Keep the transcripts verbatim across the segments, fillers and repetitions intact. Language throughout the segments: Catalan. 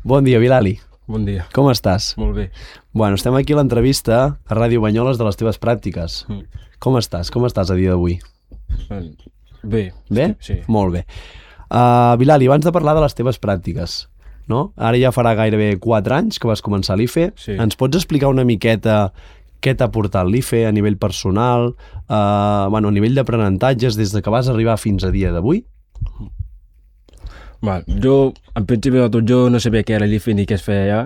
Bon dia, Bilali. Bon dia. Com estàs? Molt bé. Bueno, estem aquí a l'entrevista a Ràdio Banyoles de les teves pràctiques. Mm. Com estàs? Com estàs a dia d'avui? Bé. Bé? Sí. Molt bé. Uh, Bilali, abans de parlar de les teves pràctiques, no? Ara ja farà gairebé quatre anys que vas començar l'I F E. Sí. Ens pots explicar una miqueta què t'ha portat l'I F E a nivell personal, uh, bueno, a nivell d'aprenentatges des de que vas arribar fins a dia d'avui? Va, jo, en principi de tot, jo no sabia què era l'I F E ni què es feia allà,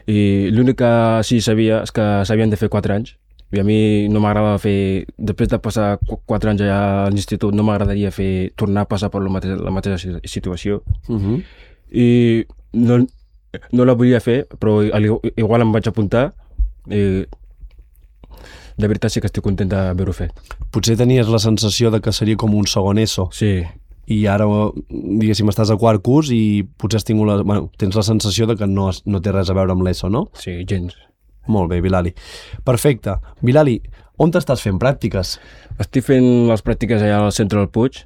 i l'únic que sí sabia és que s'havien de fer quatre anys, i a mi no m'agradava fer, després de passar qu quatre anys allà a l'institut, no m'agradaria fer, tornar a passar per la mateixa, la mateixa situació, Uh -huh. i no, no la volia fer, però igual em vaig apuntar, i de veritat sí que estic content d'haver-ho fet. Potser tenies la sensació de que seria com un segon ESO. Sí. I ara, diguéssim, estàs a quart curs i potser has tingut la, bueno, tens la sensació de que no, no té res a veure amb l'ESO, no? Sí, gens. Molt bé, Bilali. Perfecte. Bilali, on t'estàs fent pràctiques? Estic fent les pràctiques allà al centre del Puig,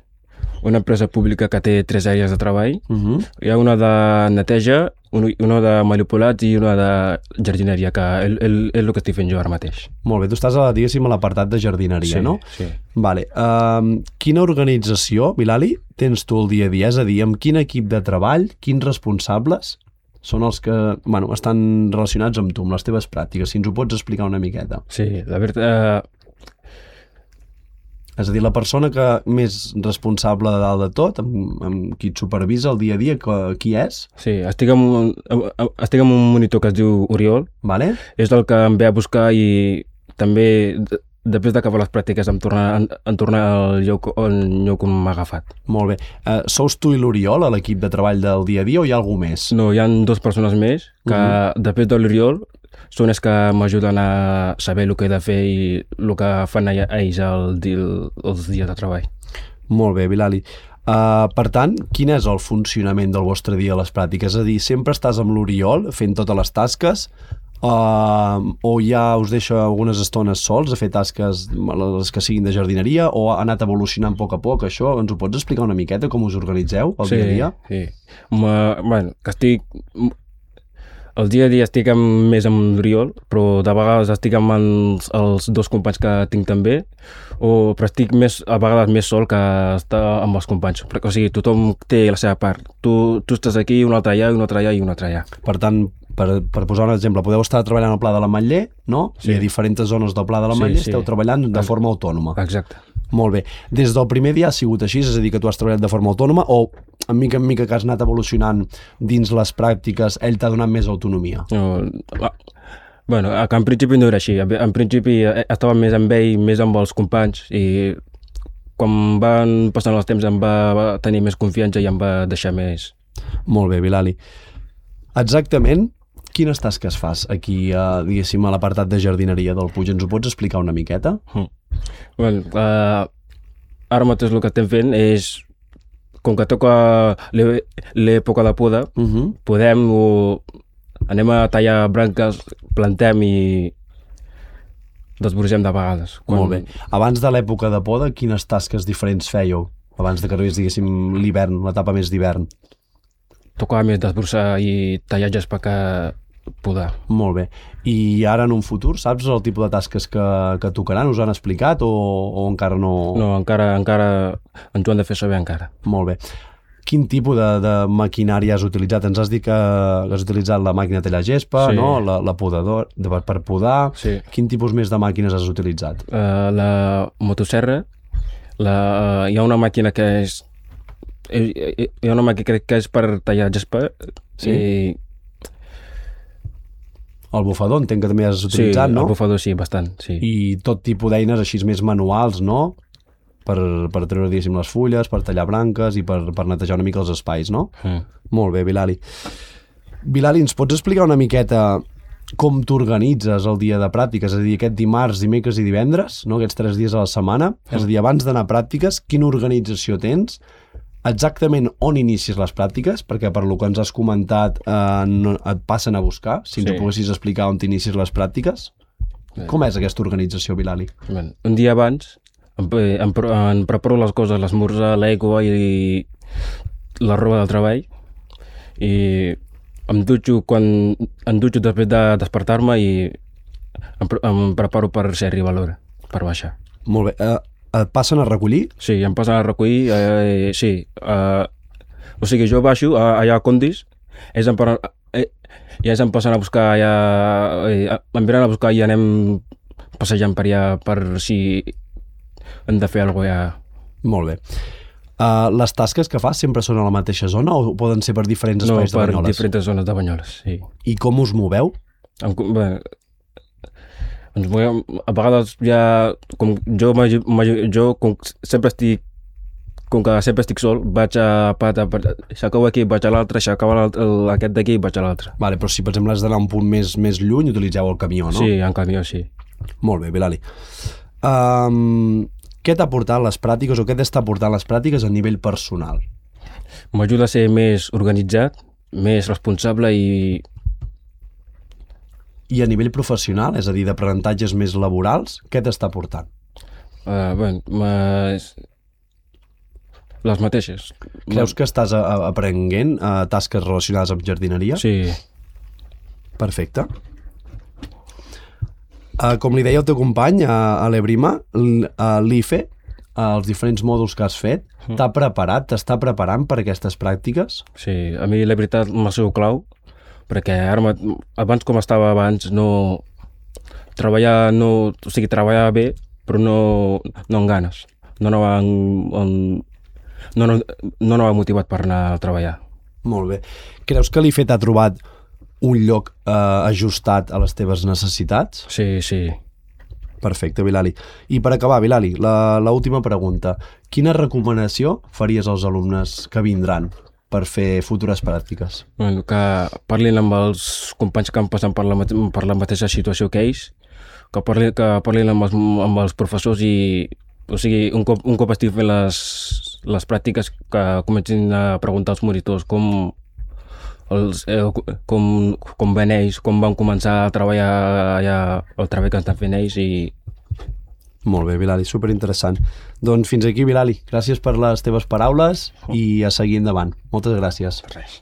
una empresa pública que té tres àrees de treball. Uh -huh. Hi ha una de neteja, una de manipulats i una de jardineria, que és, és, és el que estic fent jo ara mateix. Molt bé, tu estàs, a, diguéssim, a l'apartat de jardineria, Sí, no? sí. Vale. Um, quina organització, Bilali, tens tu el dia a dia? És a dir, amb quin equip de treball, quins responsables són els que, bueno, estan relacionats amb tu, amb les teves pràctiques? Si ens ho pots explicar una miqueta. Sí, la veritat... Eh, És a dir, la persona que més responsable de dalt de tot, amb, amb qui et supervisa el dia a dia, que, qui és? sí, estic amb, un, estic amb un monitor que es diu Oriol. Vale? És el que em ve a buscar i també, després d'acabar les pràctiques, em torna, em, em torna al lloc on, lloc on m'ha agafat. Molt bé. Uh, sous tu i l'Oriol a l'equip de treball del dia a dia o hi ha algú més? No, hi ha dues persones més que, uh -huh. després de l'Oriol, són els que m'ajuden a saber el que he de fer i el que fan ells el, el, els dies de treball. Molt bé, Bilali. Uh, per tant, quin és el funcionament del vostre dia a les pràctiques? És a dir, sempre estàs amb l'Oriol fent totes les tasques uh, o ja us deixa algunes estones sols a fer tasques, les que siguin de jardineria, o ha anat evolucionant a poc a poc això? Ens ho pots explicar una miqueta, com us organitzeu el sí, dia a dia? Sí, Ma, bueno, que estic... El dia a dia estic amb, més amb l'Oriol, però de vegades estic amb els, els dos companys que tinc també, o, però estic més, a vegades més sol que estar amb els companys. Perquè, o sigui, tothom té la seva part. Tu, tu estàs aquí, un altre allà, un altre allà i un altre allà. Per tant, per, per posar un exemple, podeu estar treballant al Pla de l'Ametller, no? Sí. I a diferents zones del Pla de l'Ametller Sí, sí. esteu treballant de forma autònoma. Exacte. Molt bé. Des del primer dia ha sigut així, és a dir, que tu has treballat de forma autònoma, o en mica en mica que has anat evolucionant dins les pràctiques, ell t'ha donat més autonomia? No, ah, bueno, en principi no era així. En principi estava més amb ell, més amb els companys, i quan van passant els temps em va, va tenir més confiança i em va deixar més. Molt bé, Bilali. Exactament quines tasques fas aquí, a, diguéssim, a l'apartat de jardineria del Puig? Ens ho pots explicar una miqueta? Mm. Bueno, uh, ara mateix el que estem fent és, com que toca l'època de poda, Uh -huh. podem o anem a tallar branques, plantem i desbrugem de vegades. Quan... Molt bé. Abans de l'època de poda, quines tasques diferents fèieu? Abans de que arribés, diguéssim, l'hivern, l'etapa més d'hivern. Tocava més desbrossar i tallar gespa que podar. Molt bé. I ara en un futur, saps el tipus de tasques que, que tocaran? Us han explicat o, o encara no? No, encara, encara ens ho han de fer saber encara. Molt bé. Quin tipus de, de maquinària has utilitzat? Ens has dit que has utilitzat la màquina de tallar gespa, Sí. no? la, la podador, de, per podar. Sí. Quin tipus més de màquines has utilitzat? Uh, la motosserra, la, uh, hi ha una màquina que és hi, hi ha una màquina que és per tallar gespa. Sí? I, El bufador entenc que també has utilitzat, sí, no? el bufador sí, bastant, sí. I tot tipus d'eines així més manuals, no? Per, per treure, diguéssim, les fulles, per tallar branques i per, per netejar una mica els espais, no? Mm. Molt bé, Bilali. Bilali, ens pots explicar una miqueta com t'organitzes el dia de pràctiques? És a dir, aquest dimarts, dimecres i divendres, no? Aquests tres dies a la setmana. Mm. És a dir, abans d'anar a pràctiques, quina organització tens? Exactament on inicies les pràctiques? Perquè per lo que ens has comentat eh, no, et passen a buscar. Si ens Sí. ho poguessis explicar on t'inicies les pràctiques. Com és aquesta organització, Bilali? Bueno, un dia abans em, em, em preparo les coses, l'esmorzar, l'aigua i la roba del treball, i em dutxo quan em dutxo després de despertar-me i em, pre- em preparo per si arriba l'hora, per baixar. Molt bé. Eh, et passen a recollir? Sí, em passen a recollir, eh, sí. Eh, o sigui, jo baixo a, allà a Condis, ells em, paran, eh, i ells em passen a buscar allà, eh, em venen a buscar i anem passejant per allà per si hem de fer alguna cosa allà. Molt bé. Uh, les tasques que fas sempre són a la mateixa zona o poden ser per diferents No, espais de per Banyoles? diferents zones de Banyoles, sí. I com us moveu? Em, bé, ens movem, a vegades ja, com jo, magi- magi- jo com sempre estic, com que sempre estic sol, vaig a pata, s'acaba aquí, vaig a l'altre, s'acaba l'altre- el- aquest d'aquí i vaig a l'altre. Vale, però si per exemple has d'anar a un punt més, més lluny, utilitzeu el camió, no? Sí, en camió, sí. Molt bé, Bilali. Um, què t'ha portat les pràctiques o què t'està portant les pràctiques a nivell personal? M'ajuda a ser més organitzat, més responsable i I a nivell professional, és a dir, d'aprenentatges més laborals, què t'està portant? uh, bueno, més... les mateixes. Creus que estàs a, a, aprenent a tasques relacionades amb jardineria? Sí, Perfecte. Uh, com li deia el teu company, a, a l'Ebrima, l- a l'I F E, uh, els diferents mòduls que has fet, t'ha preparat, t'està preparant per aquestes pràctiques? sí. A mi la veritat m'ha sigut clau, perquè ara, ma- abans com estava abans, no... Treballar, no... O sigui, treballar bé, però no, no amb ganes. No anava, en, en, no, no, no anava motivat per anar a treballar. Molt bé. Creus que l'I F E t'ha trobat un lloc eh, ajustat a les teves necessitats? Sí, sí. Perfecte, Bilali. I per acabar, Bilali, la, la última pregunta. Quina recomanació faries als alumnes que vindran per fer futures pràctiques? Bueno, que parlin amb els companys que han passat per la, mate- per la mateixa situació que ells, que parlin, que parlin amb, els, amb els professors i, o sigui, un cop, un cop estic fent les, les pràctiques, que comencin a preguntar als monitors com, els, eh, com, com ven ells, com van començar a treballar allà, el treball que estan fent ells i Molt bé, Bilali, superinteressant. Doncs fins aquí, Bilali. Gràcies per les teves paraules i a seguir endavant. Moltes gràcies. res.